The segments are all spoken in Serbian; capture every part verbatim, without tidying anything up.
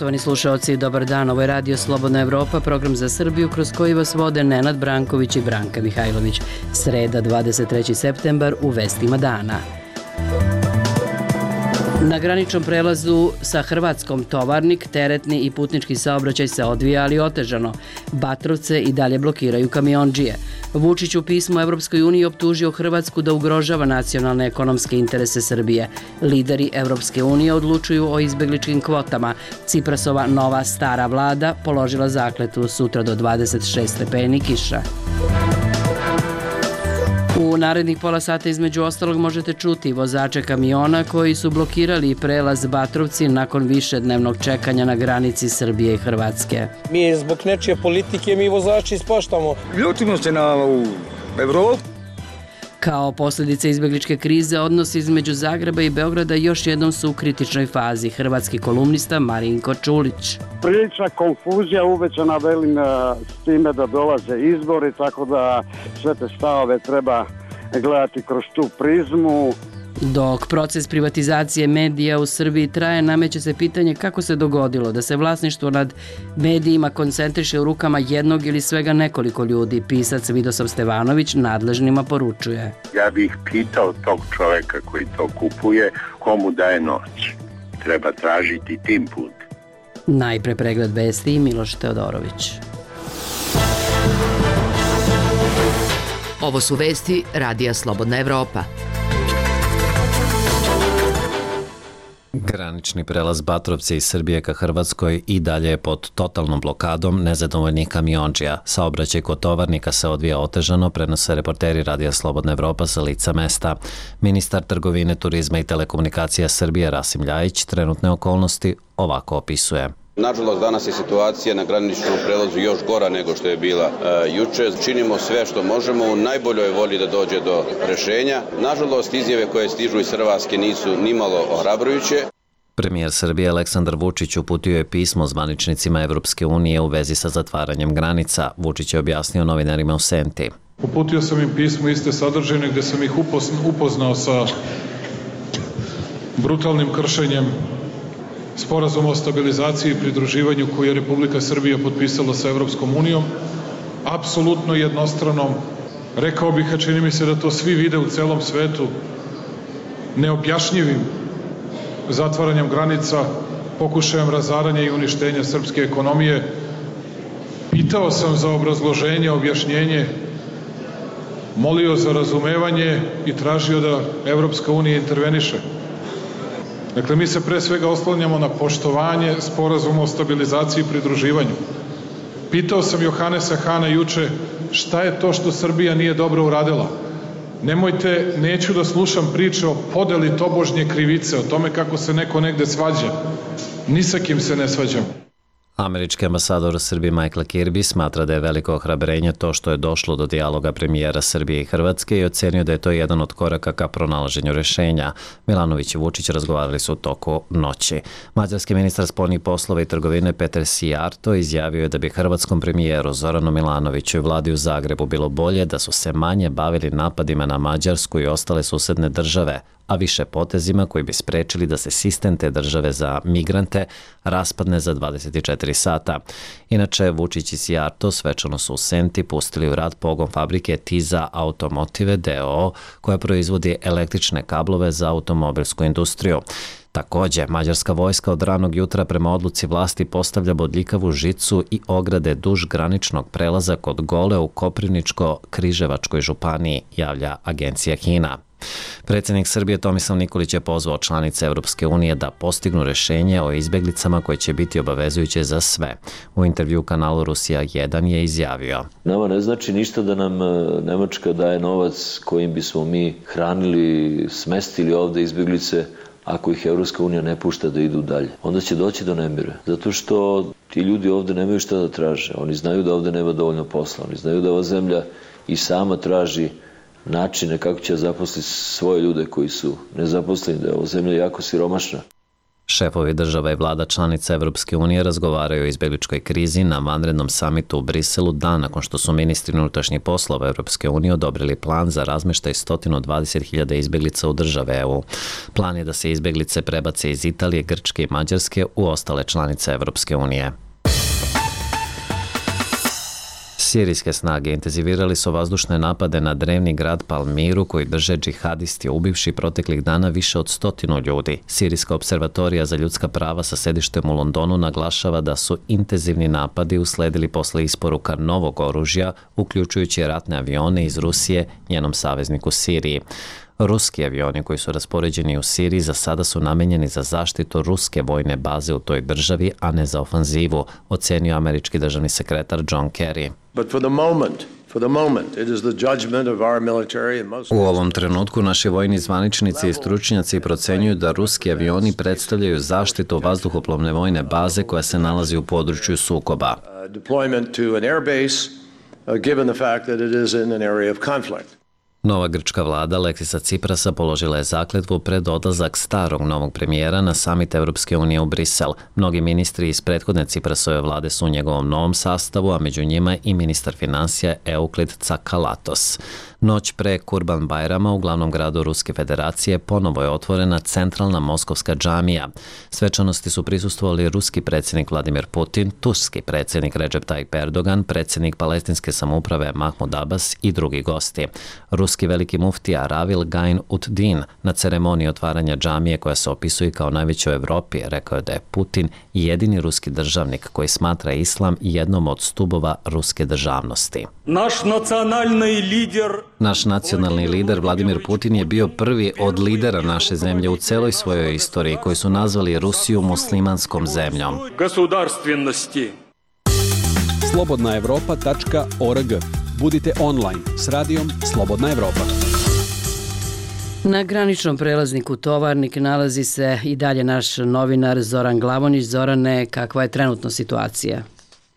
Poštovani slušaoci, dobar dan. Ovo je Radio Slobodna Evropa, program za Srbiju kroz koji vas vode Nenad Branković i Branka Mihajlović. Sreda, dvadeset treći septembar, u vestima dana. Na graničnom prelazu sa Hrvatskom Tovarnik, teretni i putnički saobraćaj se odvija, ali otežano. Batrovce i dalje blokiraju kamiondžije. Vučić u pismu Evropskoj uniji optužio Hrvatsku da ugrožava nacionalne ekonomske interese Srbije. Lideri Evropske unije odlučuju o izbegličkim kvotama. Ciprasova nova stara vlada položila zakletvu, sutra do dvadeset šest stepeni kiša. U narednih pola sata između ostalog možete čuti vozače kamiona koji su blokirali prelaz Batrovci nakon višednevnog čekanja na granici Srbije i Hrvatske. Mi zbog nečije politike mi vozači ispaštamo. Ljutimo se na Evropu. Kao posljedice izbegličke krize, odnosi između Zagreba i Beograda još jednom su u kritičnoj fazi. Hrvatski kolumnista Marinko Čulić. Prilična konfuzija uvećana, velim, s time da dolaze izbori, tako da sve te stavove treba gledati kroz tu prizmu. Dok proces privatizacije medija u Srbiji traje, nameće se pitanje kako se dogodilo da se vlasništvo nad medijima koncentriše u rukama jednog ili svega nekoliko ljudi. Pisac Vidosav Stevanović nadležnima poručuje. Ja bih pitao tog čoveka koji to kupuje, komu daje noć. Treba tražiti tim put. Najpre pregled vesti i Miloš Teodorović. Ovo su vesti Radija Slobodna Evropa. Granični prelaz Batrovce iz Srbije ka Hrvatskoj i dalje je pod totalnom blokadom nezadovoljnih kamiondžija. Saobraćaj kod Tovarnika se odvija otežano, prenose reporteri Radija Slobodna Evropa sa lica mesta. Ministar trgovine, turizma i telekomunikacija Srbije Rasim Ljajić trenutne okolnosti ovako opisuje. Nažalost, danas je situacija na graničnom prelazu još gora nego što je bila e, juče. Činimo sve što možemo u najboljoj volji da dođe do rešenja. Nažalost, izjave koje stižu iz Hrvatske nisu nimalo ohrabrujuće. Premijer Srbije Aleksandar Vučić uputio je pismo zvaničnicima Evropske unije u vezi sa zatvaranjem granica. Vučić je objasnio novinarima u Senti. Uputio sam im pismo iste sadržine gde sam ih upoznao sa brutalnim kršenjem Sporazum o stabilizaciji i pridruživanju koji je Republika Srbija potpisala sa Evropskom unijom, apsolutno jednostranom, rekao bih, a čini mi se da to svi vide u celom svetu, neobjašnjivim zatvaranjem granica, pokušajem razaranja i uništenja srpske ekonomije. Pitao sam za obrazloženje, objašnjenje, molio za razumevanje i tražio da Evropska unija interveniše. Dakle, mi se pre svega oslanjamo na poštovanje Sporazuma o stabilizaciji i pridruživanju. Pitao sam Johanesa Hana juče šta je to što Srbija nije dobro uradila. Nemojte, neću da slušam priče o podeli tobožnje krivice, o tome kako se neko negde svađa. Ni sa kim se ne svađam. Američki ambasador Srbije Michael Kirby smatra da je veliko ohrabrenje to što je došlo do dijaloga premijera Srbije i Hrvatske i ocenio da je to jedan od koraka ka pronalaženju rešenja. Milanović i Vučić razgovarali su u toku noći. Mađarski ministar spoljnih poslova i trgovine Peter Sijarto izjavio je da bi hrvatskom premijeru Zoranu Milanoviću i vladi u Zagrebu bilo bolje da su se manje bavili napadima na Mađarsku i ostale susedne države, a više potezima koji bi sprečili da se sistem te države za migrante raspadne za dvadeset četiri sata. Inače, Vučić i Sijarto svečano su u Senti pustili u rad pogon fabrike Tiza Automotive d o o koja proizvodi električne kablove za automobilsku industriju. Također, mađarska vojska od ranog jutra prema odluci vlasti postavlja bodljikavu žicu i ograde duž graničnog prelaza kod Gole u Koprivničko-Križevačkoj županiji, javlja agencija HINA. Predsjednik Srbije Tomislav Nikolić je pozvao članice Evropske unije da postignu rešenje o izbeglicama koje će biti obavezujuće za sve. U intervju kanalu Rusija jedan je izjavio: Nama ne znači ništa da nam Nemačka daje novac kojim bismo mi hranili, smestili ovde izbeglice, ako ih Evropska unija ne pušta da idu dalje. Onda će doći do nemira. Zato što ti ljudi ovde nemaju šta da traže. Oni znaju da ovde nema dovoljno posla. Oni znaju da ova zemlja i sama traži načine kako će zaposliti svoje ljude koji su nezaposleni, da je ova zemlja jako siromašna. Šefovi država i vlada članica Evropske unije razgovaraju o izbjegličkoj krizi na vanrednom samitu u Briselu dan nakon što su ministri unutrašnjih poslova Evropske unije odobrili plan za razmještaj sto dvadeset hiljada izbjeglica u države E U. Plan je da se izbjeglice prebace iz Italije, Grčke i Mađarske u ostale članice Evropske unije. Sirijske snage intenzivirali su vazdušne napade na drevni grad Palmiru koji drže džihadisti, ubivši proteklih dana više od stotinu ljudi. Sirijska observatorija za ljudska prava sa sedištem u Londonu naglašava da su intenzivni napadi usledili posle isporuka novog oružja, uključujući ratne avione iz Rusije, njenom savezniku Siriji. Ruski avioni koji su raspoređeni u Siriji za sada su namenjeni za zaštitu ruske vojne baze u toj državi, a ne za ofanzivu, ocenio američki državni sekretar John Kerry. But for the moment, for the moment, it is the judgment of our military and most... U ovom trenutku naši vojni zvaničnici i stručnjaci procenjuju da ruski avioni predstavljaju zaštitu vazduhoplovne vojne baze koja se nalazi u području sukoba. Deployment to an air base, uh, given the fact that it is in an area of conflict. Nova grčka vlada Aleksisa Ciprasa položila je zakletvu pred odlazak starog novog premijera na samit Evropske unije u Brisel. Mnogi ministri iz prethodne Ciprasove vlade su u njegovom novom sastavu, a među njima i ministar financija Euklid Tsakalatos. Noć pre Kurban Bajrama u glavnom gradu Ruske federacije ponovo je otvorena centralna moskovska džamija. Svečanosti su prisustvovali ruski predsjednik Vladimir Putin, turski predsjednik Recep Tayyip Erdogan, predsjednik palestinske samouprave Mahmud Abbas i drugi gosti. Ruski veliki muftija Ravil Gain Ud-Din na ceremoniji otvaranja džamije koja se opisuje kao najveća u Evropi rekao je da je Putin jedini ruski državnik koji smatra islam jednom od stubova ruske državnosti. Naš nacionalni lider Naš nacionalni lider Vladimir Putin je bio prvi od lidera naše zemlje u celoj svojoj istoriji koji su nazvali Rusiju muslimanskom zemljom. slobodna evropa tačka org. Budite online s radijom Slobodna Evropa. Na graničnom prelazniku Tovarnik nalazi se i dalje naš novinar Zoran Glavonić. Zorane, kakva je trenutno situacija?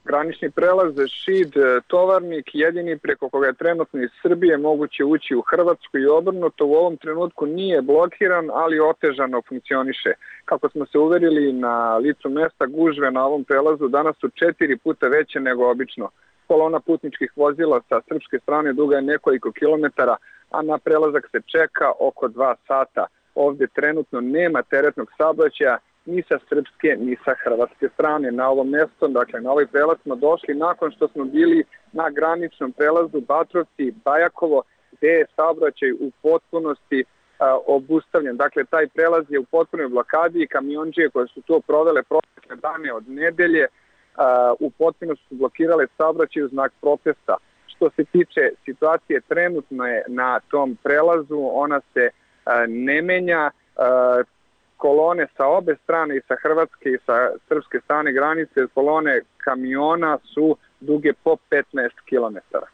Granični prelaz Šid Tovarnik jedini preko koga je trenutno iz Srbije moguće ući u Hrvatsku i obrnuto u ovom trenutku nije blokiran, ali otežano funkcioniše. Kako smo se uverili na licu mesta, gužve na ovom prelazu danas su četiri puta veće nego obično. Kolona putničkih vozila sa srpske strane duga je nekoliko kilometara, a na prelazak se čeka oko dva sata. Ovdje trenutno nema teretnog saobraćaja ni sa srpske ni sa hrvatske strane. Na ovom mjestu, dakle na ovaj prelaz smo došli nakon što smo bili na graničnom prelazu Batrovci-Bajakovo, gdje je saobraćaj u potpunosti a, obustavljen. Dakle, taj prelaz je u potpunoj blokadi i kamiondžije koje su to provele protekle dane od nedelje u potpunosti su blokirale saobraćaj u znak protesta. Što se tiče situacije trenutno je na tom prelazu, ona se ne menja. Kolone sa obe strane, i sa hrvatske i sa srpske strane granice, kolone kamiona su duge po petnaest kilometara.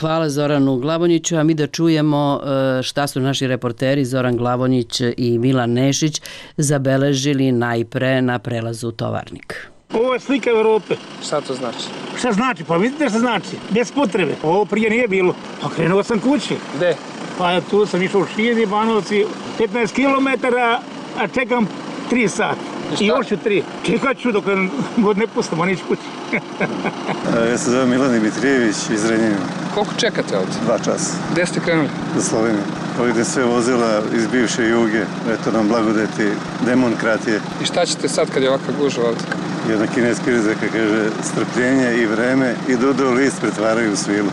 Hvala Zoranu Glavonjiću, a mi da čujemo šta su naši reporteri Zoran Glavonjić i Milan Nešić zabeležili najpre na prelazu Tovarnik. Ovo je slika Evrope. Šta to znači? Šta znači? Pa vidite šta znači. Bez potrebe. Ovo prije nije bilo. Pa krenuo sam kući. Gde? Pa tu sam išao u Šid, Banovci, petnaest kilometara, a čekam tri sata. I, I još ću tri. Čekat ću dok god ne pustam, a neću kući. Ja se zove Milan Dimitrijević iz Renjanina. Koliko čekate ovdje? Dva časa. Gde ste krenuli? Za Sloveniju. Ovdje sve vozila iz bivše Juge. Eto nam blagodeti demokratije. I šta ćete sad kad je ovakva gužva ovdje? Jedna kineska izreka kaže strpljenje i vreme i dudo list pretvaraju u svilu.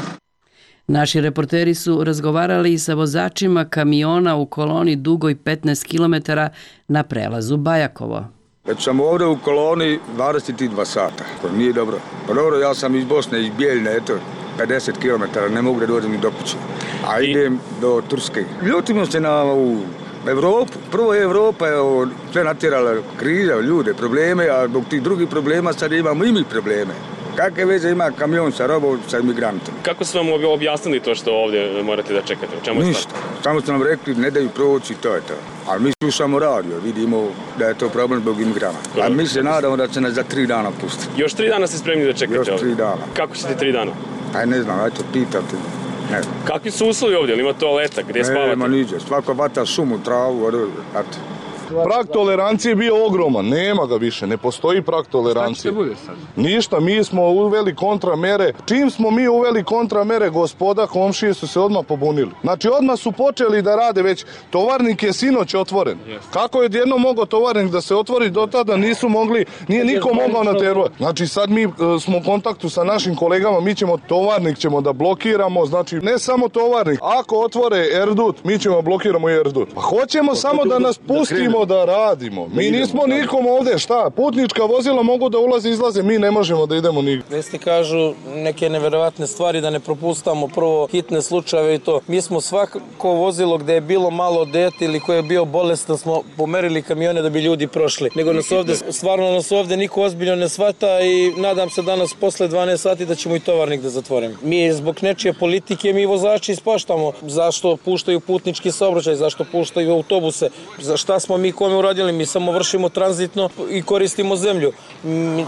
Naši reporteri su razgovarali i sa vozačima kamiona u koloni dugoj petnaest kilometara na prelazu Bajakovo. Već sam ovdje u koloni dvadeset dva sata, to nije dobro. Pa dobro, ja sam iz Bosne, iz Bijeljne, eto, pedeset kilometara, ne mogu da dođem ni do kuće. A idem do Turske. Ljutimo se na ovu Evropu. Prvo je Evropa je sve natjerala kriza, ljude, probleme, a zbog tih drugih problema sad imamo i mi probleme. Kakve veze ima kamion sa robom, sa imigrantom? Kako su vam objasnili to što ovdje morate da čekate? U čemu je Ništa. Samo su nam rekli ne daju proći, to je to. Ali mi slušamo radio, vidimo da je to problem zbog imigranata. A mi se nadamo da će nas za tri dana pustiti. Još tri dana ste spremni da čekate ovdje? Još tri dana. Kako ćete tri dana? Aj ne znam, ajte pitate. Ne. Kakvi su uslovi ovdje? Ima toaleta? Gdje spavate? Nema niđe. Svako vata šumu, travu, eto. Prag tolerancije je bio ogroman, nema ga više, ne postoji prag tolerancije. Šta će bude sad? Ništa, mi smo uveli kontramere. Čim smo mi uveli kontramere, gospoda, komšije su se odmah pobunili. Znači, odmah su počeli da rade već. Tovarnik je sinoć otvoren. Yes. Kako je odjedno mogao tovarnik da se otvori, do tada nisu mogli, nije niko mogao natervati. Znači, sad mi uh, smo u kontaktu sa našim kolegama, mi ćemo tovarnik ćemo da blokiramo, znači ne samo tovarnik. Ako otvore Erdut, mi ćemo blokiramo i Erdut. Pa hoćemo samo da nas pustimo da radimo. Mi nismo nikom ovde, šta? Putnička vozila mogu da ulaze i izlaze, mi ne možemo da idemo nigdje. Vesti kažu neke neverovatne stvari da ne propustamo prvo hitne slučajeve i to. Mi smo svako vozilo gde je bilo malo dete ili koje je bio bolestan smo pomerili kamione da bi ljudi prošli. Nego nas ovde, stvarno nas ovde niko ozbiljno ne shvata i nadam se danas posle dvanaest sati da ćemo i tovarnik da zatvorimo. Mi zbog nečije politike mi vozači ispaštamo. Zašto puštaju putnički saobraćaj, zašto puštaju autobuse, za šta smo mi kome uradili, mi samo vršimo tranzitno i koristimo zemlju.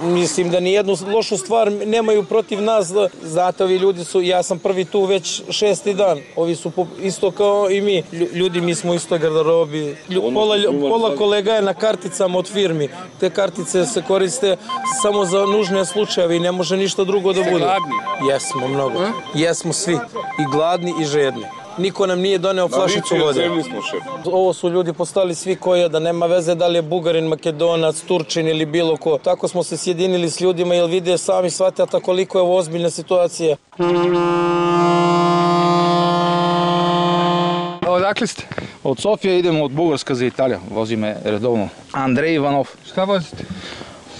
Mislim da ni jednu lošu stvar nemaju protiv nas, zato ovi ljudi su, ja sam prvi tu već šesti dan, ovi su isto kao i mi, ljudi mi smo isto garderobi, pola, pola kolega je na karticama od firmi, te kartice se koriste samo za nužne slučajeve i ne može ništa drugo da bude. Jesmo mnogo, jesmo svi, i gladni i žedni. Niko nam nije doneo flašicu vode. Ovo su ljudi postali svi koji da nema veze da li je Bugarin, Makedonac, Turčin ili bilo ko. Tako smo se sjedinili s ljudima jer vide sami shvatata koliko je ovo ozbiljna situacija. Odakle ste? Od Sofije idemo od Bugarska za Italiju. Vozi me redovno Andrej Ivanov. Šta vozite?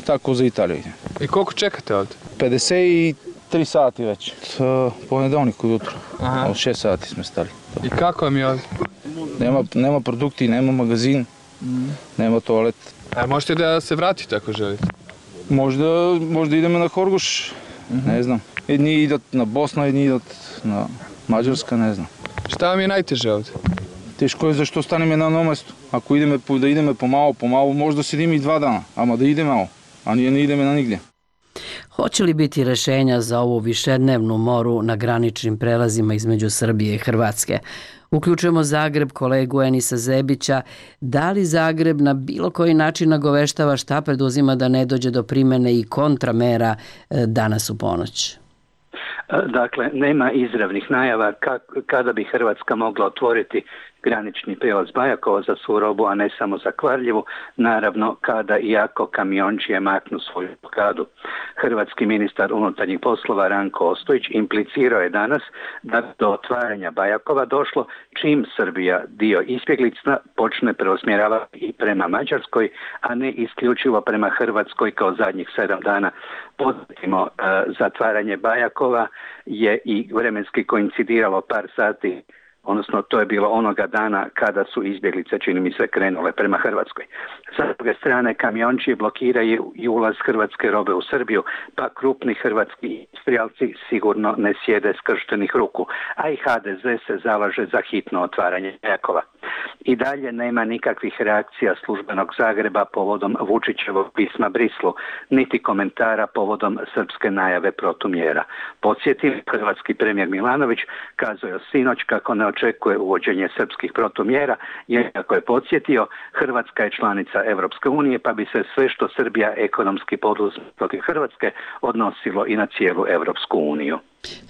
Tako za Italiju idem. I koliko čekate ovdje? pedeset tri sati već. Ponedeljnik ujutro. Od šest sati smo stali. I kako vam je ovdje? Nema, nema produkti, nema magazin, mm. nema toalet. A možete da se vratite ako želite? Možda, možda idemo na Horgoš, mm-hmm. ne znam. Jedni idat na Bosna, jedni idat na Mađarska, ne znam. Šta vam je najteže ovdje? Teško je zašto staneme na jednom mjestu. Ako ideme, da ideme pomalo, pomalo, možda sedimo i dva dana, ama da ide malo, a nije ne ideme na nigdje. Hoće li biti rešenja za ovu višednevnu moru na graničnim prelazima između Srbije i Hrvatske? Uključujemo Zagreb, kolegu Enisa Zebića. Da li Zagreb na bilo koji način nagoveštava šta preduzima da ne dođe do primene i kontramera danas u ponoć? Dakle, nema izravnih najava kada bi Hrvatska mogla otvoriti granični prijelaz Bajakovo za svu robu, a ne samo za Kvarljevu, naravno kada i ako kamiončije maknu svoju blokadu. Hrvatski ministar unutarnjih poslova Ranko Ostojić implicirao je danas da do otvaranja Bajakova došlo čim Srbija dio izbjeglica počne preusmjeravati i prema Mađarskoj, a ne isključivo prema Hrvatskoj kao zadnjih sedam dana. Podsjetimo, zatvaranje Bajakova je i vremenski koincidiralo par sati, odnosno to je bilo onoga dana kada su izbjeglice, čini mi se, krenule prema Hrvatskoj. Sa druge strane, kamiončije blokiraju i ulaz hrvatske robe u Srbiju, pa krupni hrvatski industrijalci sigurno ne sjede skrštenih ruku, a i ha de ze se zalaže za hitno otvaranje Bajakova. I dalje nema nikakvih reakcija službenog Zagreba povodom Vučićevog pisma Brislu, niti komentara povodom srpske najave protumjera. Podsjetim, hrvatski premijer Milanović kazao je sinoć kako ne očekuje uvođenje srpskih protumjera, jer kako je podsjetio, Hrvatska je članica Evropske unije, pa bi se sve što Srbija ekonomski poduzme protiv Hrvatske odnosilo i na cijelu Evropsku uniju.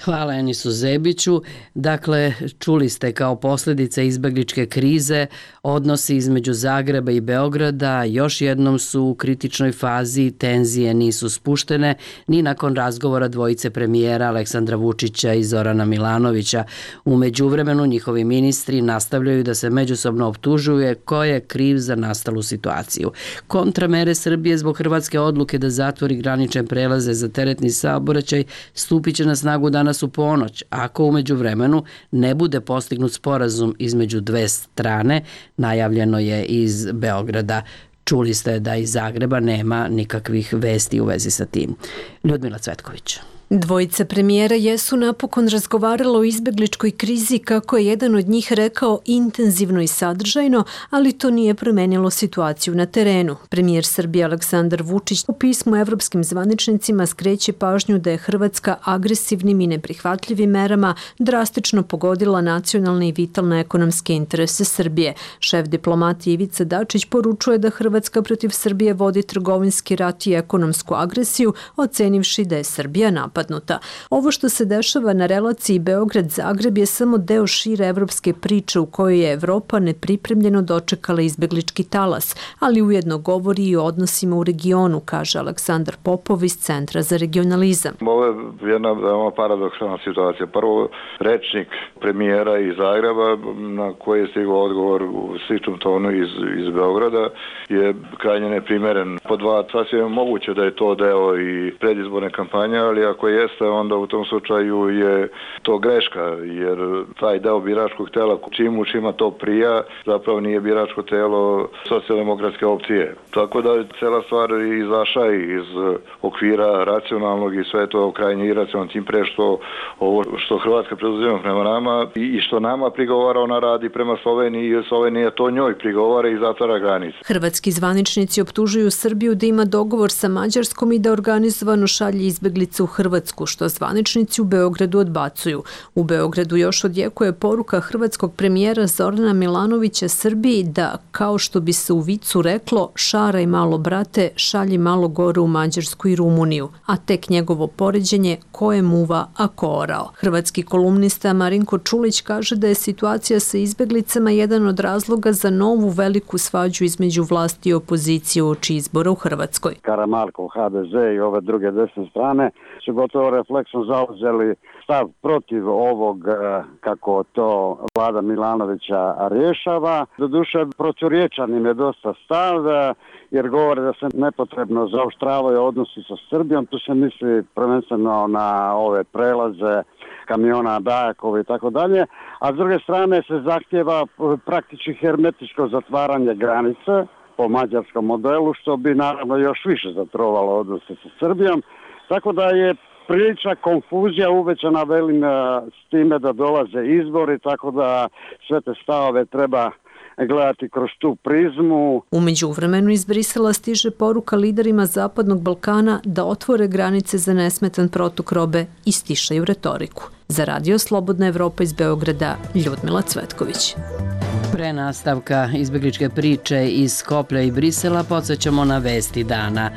Hvala Enisu Zebiću. Dakle, čuli ste kao posljedice izbegličke krize odnosi između Zagreba i Beograda još jednom su u kritičnoj fazi, tenzije nisu spuštene ni nakon razgovora dvojice premijera Aleksandra Vučića i Zorana Milanovića. U međuvremenu njihovi ministri nastavljaju da se međusobno optužuje ko je kriv za nastalu situaciju. Kontramere Srbije zbog hrvatske odluke da zatvori granične prelaze za teretni saobraćaj stupit će na snagu danas u ponoć, ako u međuvremenu ne bude postignut sporazum između dve strane, najavljeno je iz Beograda. Čuli ste da iz Zagreba nema nikakvih vesti u vezi sa tim. Ljudmila Cvetković. Dvojica premijera jesu napokon razgovarala o izbegličkoj krizi, kako je jedan od njih rekao, intenzivno i sadržajno, ali to nije promenilo situaciju na terenu. Premijer Srbije Aleksandar Vučić u pismu evropskim zvaničnicima skreće pažnju da je Hrvatska agresivnim i neprihvatljivim merama drastično pogodila nacionalne i vitalne ekonomske interese Srbije. Šef diplomatije Ivica Dačić poručuje da Hrvatska protiv Srbije vodi trgovinski rat i ekonomsku agresiju, ocenivši da je Srbija napadnuta. Ovo što se dešava na relaciji Beograd-Zagreb je samo deo šire evropske priče u kojoj je Evropa nepripremljeno dočekala izbeglički talas, ali ujedno govori i o odnosima u regionu, kaže Aleksandar Popov iz Centra za regionalizam. Ovo je jedna veoma paradoksalna situacija. Prvo, rečnik premijera iz Zagreba, na koji je stigao odgovor u sličnom tonu iz, iz Beograda, je krajnje neprimeren. Po dva, sasvim je moguće da je to deo i predizborne kampanje, ali ako jeste, onda u tom slučaju je to greška, jer taj deo biračkog tela, čim učima to prija, zapravo nije biračko telo socijaldemokratske opcije. Tako da je cela stvar izašla iz okvira racionalnog i sve to krajnje iracionalno, tim pre što ovo što Hrvatska preduzima prema nama i što nama prigovara, ona radi prema Sloveniji i Slovenija to njoj prigovara i zatvara granice. Hrvatski zvaničnici optužuju Srbiju da ima dogovor sa Mađarskom i da organizovano šalje izbeglice u Hrvatsku, što zvaničnici u Beogradu odbacuju. U Beogradu još odjekuje poruka hrvatskog premijera Zorana Milanovića Srbiji da, kao što bi se u vicu reklo, šaraj malo brate, šalji malo gore u Mađarsku i Rumuniju, a tek njegovo poređenje ko je muva, a ko orao. Hrvatski kolumnista Marinko Čulić kaže da je situacija sa izbeglicama jedan od razloga za novu veliku svađu između vlasti i opozicije uoči izbora u Hrvatskoj. Karamarkov H D Z i ove druge desne strane su gotovo refleksno zauzeli stav protiv ovog, kako to vlada Milanovića rješava. Doduše, proturječan im je dosta stav, jer govore da se nepotrebno zaoštravaju odnosi sa Srbijom. Tu se misli prvenstveno na ove prelaze kamiona Dajakova i tako dalje, a s druge strane se zahtjeva praktički hermetičko zatvaranje granice po mađarskom modelu, što bi naravno još više zatrovalo odnose sa Srbijom. Tako da je prilična konfuzija uvećana, velim, s time da dolaze izbori, tako da sve te stavove treba gledati kroz tu prizmu. U međuvremenu iz Brisela stiže poruka liderima Zapadnog Balkana da otvore granice za nesmetan protok robe i stišaju retoriku. Za Radio Slobodna Evropa iz Beograda, Ljudmila Cvetković. Pre nastavka izbegličke priče iz Skoplja i Brisela podsjećamo na vesti dana.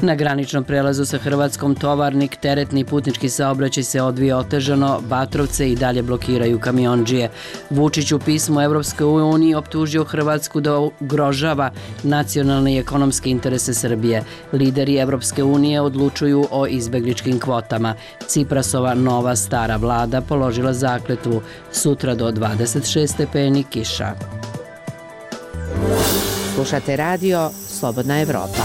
Na graničnom prelazu sa Hrvatskom Tovarnik teretni putnički saobraćaj se odvija otežano, Batrovce i dalje blokiraju kamiondžije. Vučić u pismu Evropskoj uniji optužio Hrvatsku da ugrožava nacionalne i ekonomske interese Srbije. Lideri Evropske unije odlučuju o izbegličkim kvotama. Ciprasova nova stara vlada položila zakletvu. Sutra do dvadeset šest stepeni kiša. Slušate radio Slobodna Evropa.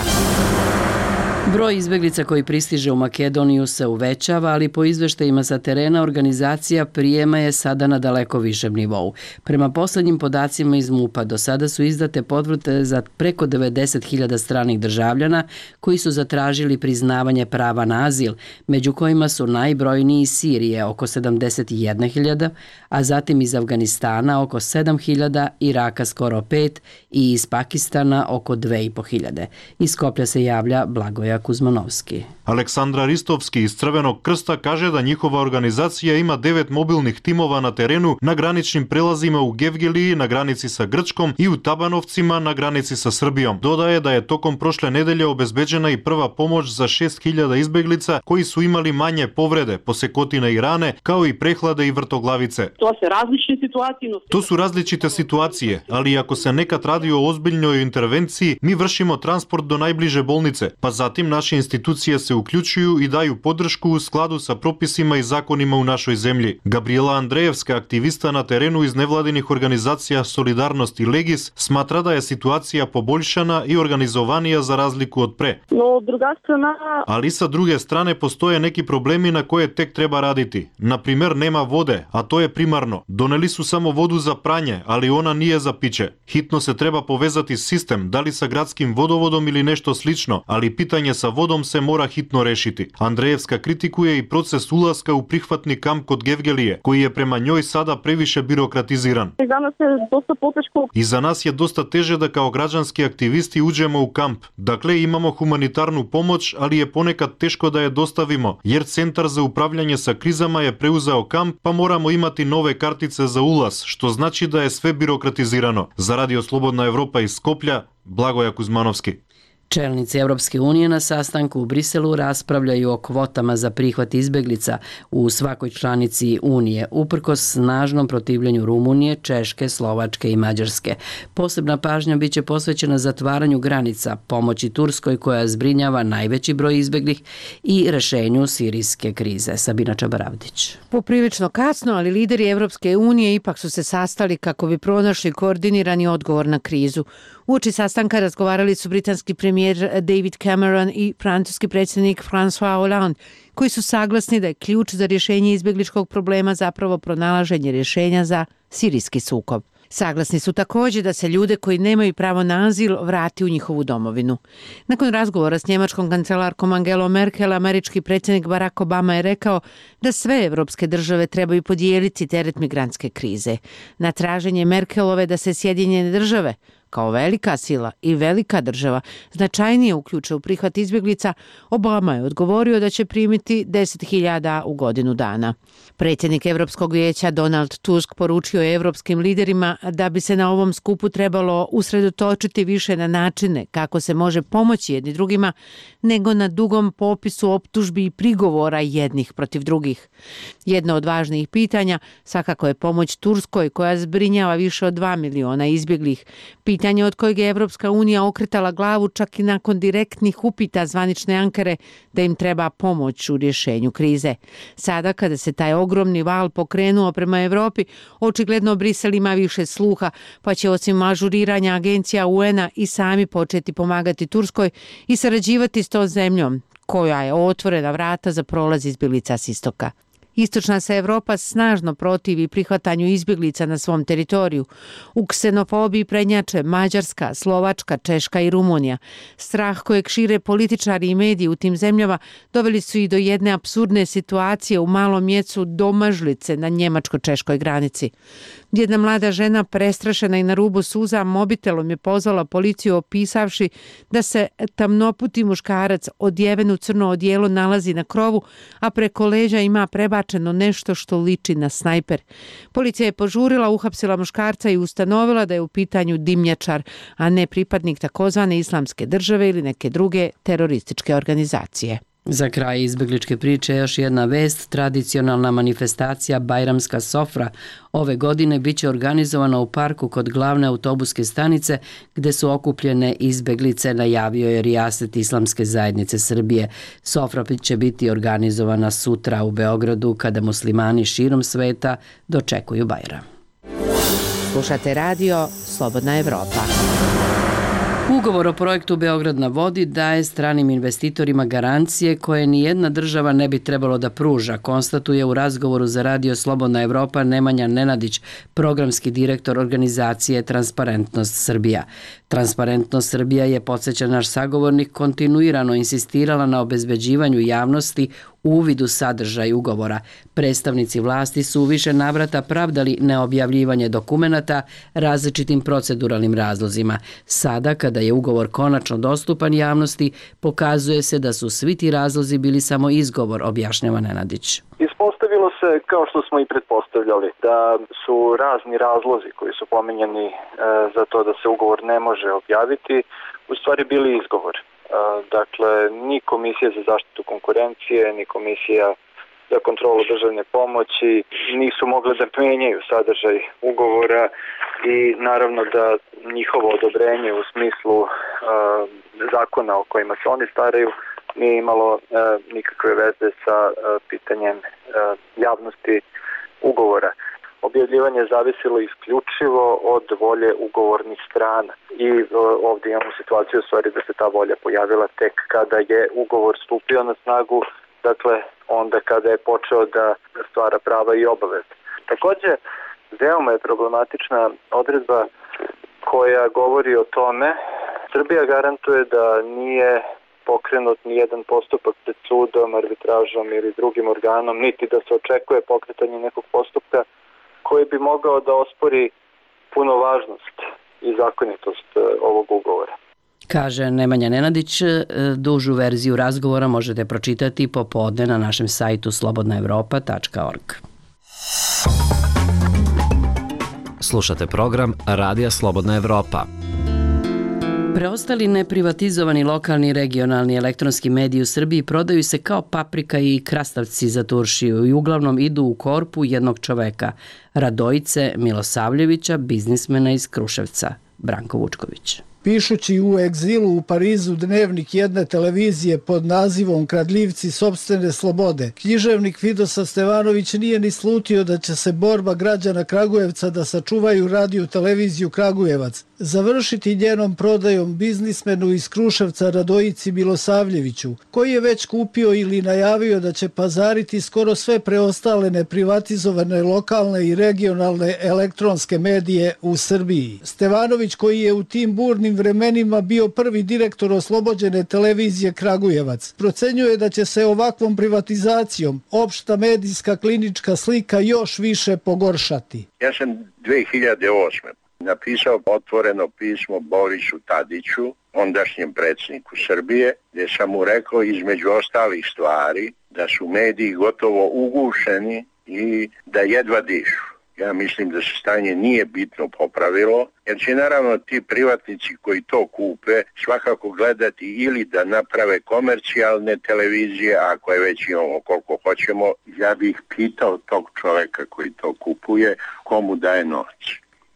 Broj izbeglica koji pristiže u Makedoniju se uvećava, ali po izveštajima sa terena organizacija prijema je sada na daleko višem nivou. Prema poslednjim podacima iz MUP-a do sada su izdate potvrde za preko devedeset hiljada stranih državljana koji su zatražili priznavanje prava na azil, među kojima su najbrojniji iz Sirije oko sedamdeset jedna hiljada, a zatim iz Afganistana oko sedam hiljada, Iraka skoro pet i iz Pakistana oko dve i po hiljade. Iz Skoplja se javlja Blagoja Kuzmanovski. Aleksandra Ristovski iz Crvenog krsta kaže da njihova organizacija ima devet mobilnih timova na terenu na graničnim prelazima u Gevgeliji na granici sa Grčkom i u Tabanovcima na granici sa Srbijom. Dodaje da je tokom prošle nedelje obezbeđena i prva pomoć za šest hiljada izbeglica koji su imali manje povrede, posekotine i rane, kao i prehlade i vrtoglavice. To se različite situacije. To su različite situacije, ali ako se nekad radi o ozbiljnoj intervenciji, mi vršimo transport do najbliže bolnice, pa zatim naše institucije se uključuju i daju podršku u skladu sa propisima i zakonima u našoj zemlji. Gabriela Andrejevska, aktivista na terenu iz nevladinih organizacija Solidarnost i Legis, smatra da je situacija poboljšana i organizovanija za razliku od pre. No, druga strana... Ali sa druge strane postoje neki problemi na koje tek treba raditi. Na primer, nema vode, a to je primarno. Doneli su samo vodu za pranje, ali ona nije za piće. Hitno se treba povezati sistem, da li sa gradskim vodovodom ili nešto slično, ali pitanje снабдување sa водом се мора хитно решити. Андреевска критикуе и процес уласка у прихватни камп код Гевгелие, кој е према њој сада превише бирократизиран. И за нас е доста потешко. И за нас е доста теже да као граѓански активисти уđemo у камп. Дакле имамо хуманитарну помоć, али е понекад тешко да ја доставимо, jer Центар за управљање sa кризама е преузео камп, па морамо имати нове картице за улаз, што значи да е све бирократизирано. За Радио Слободна Европа из Скопља, Благоја Кузмановски. Čelnici Evropske unije na sastanku u Briselu raspravljaju o kvotama za prihvat izbeglica u svakoj članici Unije, uprkos snažnom protivljenju Rumunije, Češke, Slovačke i Mađarske. Posebna pažnja biće posvećena zatvaranju granica, pomoći Turskoj koja zbrinjava najveći broj izbeglih i rešenju sirijske krize. Sabina Čabaravdić. Poprilično kasno, ali lideri Evropske unije ipak su se sastali kako bi pronašli koordinirani odgovor na krizu. Uoči sastanka razgovarali su britanski premijer David Cameron i francuski predsjednik François Hollande, koji su saglasni da je ključ za rješenje izbjegličkog problema zapravo pronalaženje rješenja za sirijski sukob. Saglasni su također da se ljude koji nemaju pravo na azil vrati u njihovu domovinu. Nakon razgovora s njemačkom kancelarkom Angelom Merkel, američki predsjednik Barack Obama je rekao da sve evropske države trebaju podijeliti teret migrantske krize. Na traženje Merkelove da se Sjedinjene države kao velika sila i velika država značajnije uključe u prihvat izbjeglica, Obama je odgovorio da će primiti deset hiljada u godinu dana. Predsjednik Evropskog vijeća Donald Tusk poručio je evropskim liderima da bi se na ovom skupu trebalo usredotočiti više na načine kako se može pomoći jedni drugima, nego na dugom popisu optužbi i prigovora jednih protiv drugih. Jedno od važnijih pitanja svakako je pomoć Turskoj koja zbrinjava više od dva miliona izbjeglih. Pitanje od kojeg je Evropska unija okretala glavu čak i nakon direktnih upita zvanične Ankare da im treba pomoć u rješenju krize. Sada kada se taj ogromni val pokrenuo prema Evropi, očigledno Brisel ima više sluha, pa će osim ažuriranja agencija U N-a i sami početi pomagati Turskoj i sarađivati s tom zemljom, koja je otvorena vrata za prolaz izbjeglica s istoka. Istočna se Evropa snažno protivi prihvatanju izbjeglica na svom teritoriju. U ksenofobiji prednjače Mađarska, Slovačka, Češka i Rumunija. Strah kojeg šire političari i mediji u tim zemljama doveli su i do jedne apsurdne situacije u malom mjestu Domažlice na njemačko-češkoj granici. Jedna mlada žena, prestrašena i na rubu suza, mobitelom je pozvala policiju opisavši da se tamnoputi muškarac odjeven u crno odijelo nalazi na krovu, a preko leđa ima prebačeno nešto što liči na snajper. Policija je požurila, uhapsila muškarca i ustanovila da je u pitanju dimnjačar, a ne pripadnik takozvane islamske države ili neke druge terorističke organizacije. Za kraj izbegličke priče još jedna vest. Tradicionalna manifestacija Bajramska sofra ove godine biće organizovana u parku kod glavne autobuske stanice gde su okupljene izbeglice, najavio je Rijaset Islamske zajednice Srbije. Sofra će biti organizovana sutra u Beogradu kada muslimani širom sveta dočekuju Bajram. Slušate radio Slobodna Evropa. Ugovor o projektu Beograd na vodi daje stranim investitorima garancije koje nijedna država ne bi trebalo da pruža, konstatuje u razgovoru za Radio Slobodna Evropa Nemanja Nenadić, programski direktor organizacije Transparentnost Srbija. Transparentnost Srbija je, podsjeća naš sagovornik, kontinuirano insistirala na obezbeđivanju javnosti uvid u sadržaj ugovora. Predstavnici vlasti su u više navrata pravdali neobjavljivanje dokumenata različitim proceduralnim razlozima. Sada, kada je ugovor konačno dostupan javnosti, pokazuje se da su svi ti razlozi bili samo izgovor, objašnjava Nenadić. Ispostavilo se, kao što smo i pretpostavljali, da su razni razlozi koji su pominjani e, za to da se ugovor ne može objaviti, u stvari bili izgovor. E, dakle, ni Komisija za zaštitu konkurencije, ni Komisija za kontrolu državne pomoći nisu mogle da menjaju sadržaj ugovora i naravno da njihovo odobrenje u smislu e, zakona o kojima se oni staraju nije imalo e, nikakve veze sa e, pitanjem e, javnosti ugovora. Objavljivanje zavisilo isključivo od volje ugovornih strana i e, ovdje imamo situaciju u stvari da se ta volja pojavila tek kada je ugovor stupio na snagu, dakle onda kada je počeo da stvara prava i obaveze. Također, veoma je problematična odredba koja govori o tome, Srbija garantuje da nije pokrenut ni jedan postupak pred sudom, arbitražom ili drugim organom, niti da se očekuje pokretanje nekog postupka koji bi mogao da ospori punovažnost i zakonitost ovog ugovora. Kaže Nemanja Nenadić. Dužu verziju razgovora možete pročitati popodne na našem sajtu slobodna evropa tačka org. Slušate program Radija Slobodna Evropa. Preostali neprivatizovani lokalni i regionalni elektronski mediji u Srbiji prodaju se kao paprika i krastavci za turšiju i uglavnom idu u korpu jednog čoveka, Radojice Milosavljevića, biznismena iz Kruševca. Branko Vučković. Pišući u egzilu u Parizu dnevnik jedne televizije pod nazivom Kradljivci sopstvene slobode, književnik Vidosav Stevanović nije ni slutio da će se borba građana Kragujevca da sačuvaju radio televiziju Kragujevac završiti njenom prodajom biznismenu iz Kruševca Radojici Milosavljeviću, koji je već kupio ili najavio da će pazariti skoro sve preostale neprivatizovane lokalne i regionalne elektronske medije u Srbiji. Stevanović, koji je u tim burnim vremenima bio prvi direktor oslobođene televizije Kragujevac, procenjuje da će se ovakvom privatizacijom opšta medijska klinička slika još više pogoršati. Ja sam dve hiljade osme napisao otvoreno pismo Borisu Tadiću, ondašnjem predsjedniku Srbije, gdje sam mu rekao između ostalih stvari da su mediji gotovo ugušeni i da jedva dišu. Ja mislim da se stanje nije bitno popravilo, jer će naravno ti privatnici koji to kupe svakako gledati ili da naprave komercijalne televizije, ako je već imamo koliko hoćemo. Ja bih pitao tog čoveka koji to kupuje, komu daje novac.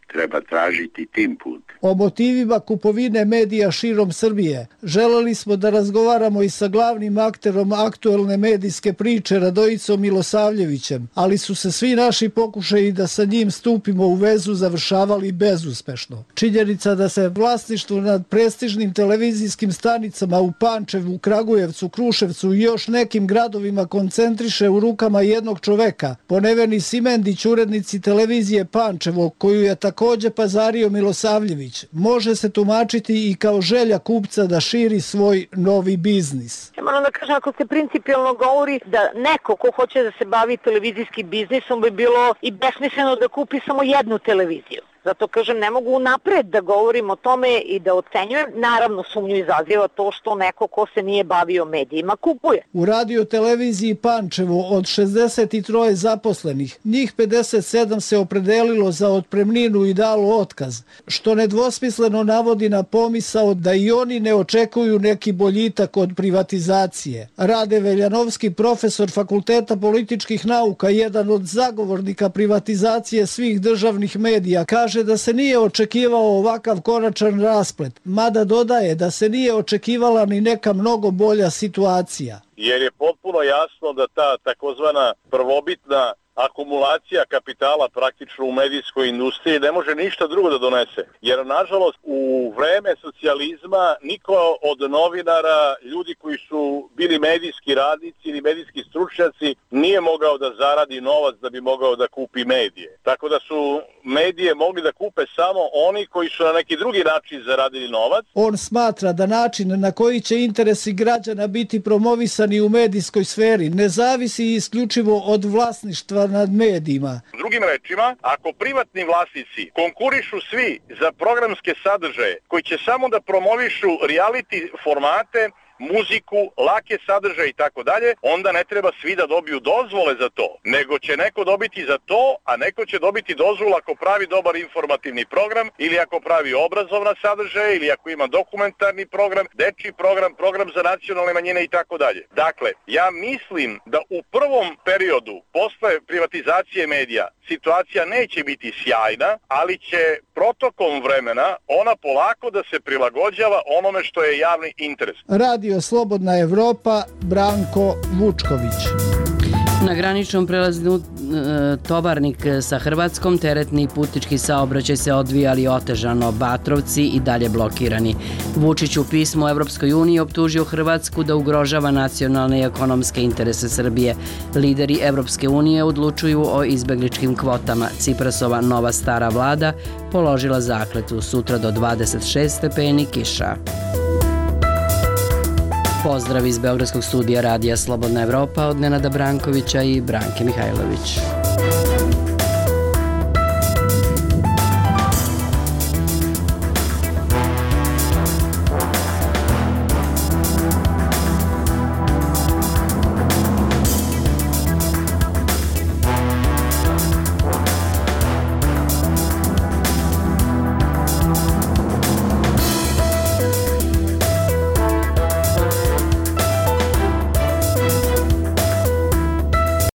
Treba tražiti tim put. O motivima kupovine medija širom Srbije želeli smo da razgovaramo i sa glavnim akterom aktuelne medijske priče Radojicom Milosavljevićem, ali su se svi naši pokušaji da sa njim stupimo u vezu završavali bezuspešno. Činjenica da se vlasništvo nad prestižnim televizijskim stanicama u Pančevu, Kragujevcu, Kruševcu i još nekim gradovima koncentriše u rukama jednog čoveka, po Neveni Simendić, urednici televizije Pančevo, koju je tako također pazario Milosavljević, može se tumačiti i kao želja kupca da širi svoj novi biznis. Moram da kažem, ako se principijalno govori da neko ko hoće da se bavi televizijskim biznisom bi bilo i besmisleno da kupi samo jednu televiziju. Zato kažem, ne mogu napred da govorim o tome i da ocenjujem. Naravno, sumnju izaziva to što neko ko se nije bavio medijima kupuje. U radio televiziji Pančevo od šezdeset tri zaposlenih, njih pedeset sedam se opredelilo za otpremninu i dalo otkaz, što nedvosmisleno navodi na pomisao da i oni ne očekuju neki boljitak od privatizacije. Rade Veljanovski, profesor Fakulteta političkih nauka, jedan od zagovornika privatizacije svih državnih medija, kaže da se nije očekivao ovakav konačan rasplet, mada dodaje da se nije očekivala ni neka mnogo bolja situacija. Jer je potpuno jasno da ta takozvana prvobitna akumulacija kapitala praktično u medijskoj industriji ne može ništa drugo da donese. Jer, nažalost, u vreme socijalizma niko od novinara, ljudi koji su bili medijski radnici ili medijski stručnjaci, nije mogao da zaradi novac da bi mogao da kupi medije. Tako da su medije mogli da kupe samo oni koji su na neki drugi način zaradili novac. On smatra da način na koji će interesi građana biti promovisani u medijskoj sferi ne zavisi isključivo od vlasništva nad medijima. Drugim rečima, ako privatni vlasnici konkurišu svi za programske sadržaje koji će samo da promovišu reality formate, muziku, lake sadržaje i tako dalje, onda ne treba svi da dobiju dozvole za to, nego će neko dobiti za to, a neko će dobiti dozvolu ako pravi dobar informativni program ili ako pravi obrazovna sadržaje ili ako ima dokumentarni program, dečji program, program za nacionalne manjine i tako dalje. Dakle, ja mislim da u prvom periodu posle privatizacije medija situacija neće biti sjajna, ali će protokom vremena ona polako da se prilagođava onome što je javni interes. Radio Slobodna Evropa, Branko Vučković. Na graničnom prelazu Tovarnik sa Hrvatskom teretni i putnički saobraćaj se odvijali otežano, Batrovci i dalje blokirani. Vučić u pismu Evropskoj uniji optužio Hrvatsku da ugrožava nacionalne i ekonomske interese Srbije. Lideri Evropske unije odlučuju o izbegličkim kvotama. Ciprasova nova stara vlada položila zakletvu, sutra do dvadeset šest stepeni kiša. Pozdrav iz Beogradskog studija Radija Slobodna Evropa od Nenada Brankovića i Branke Mihajlović.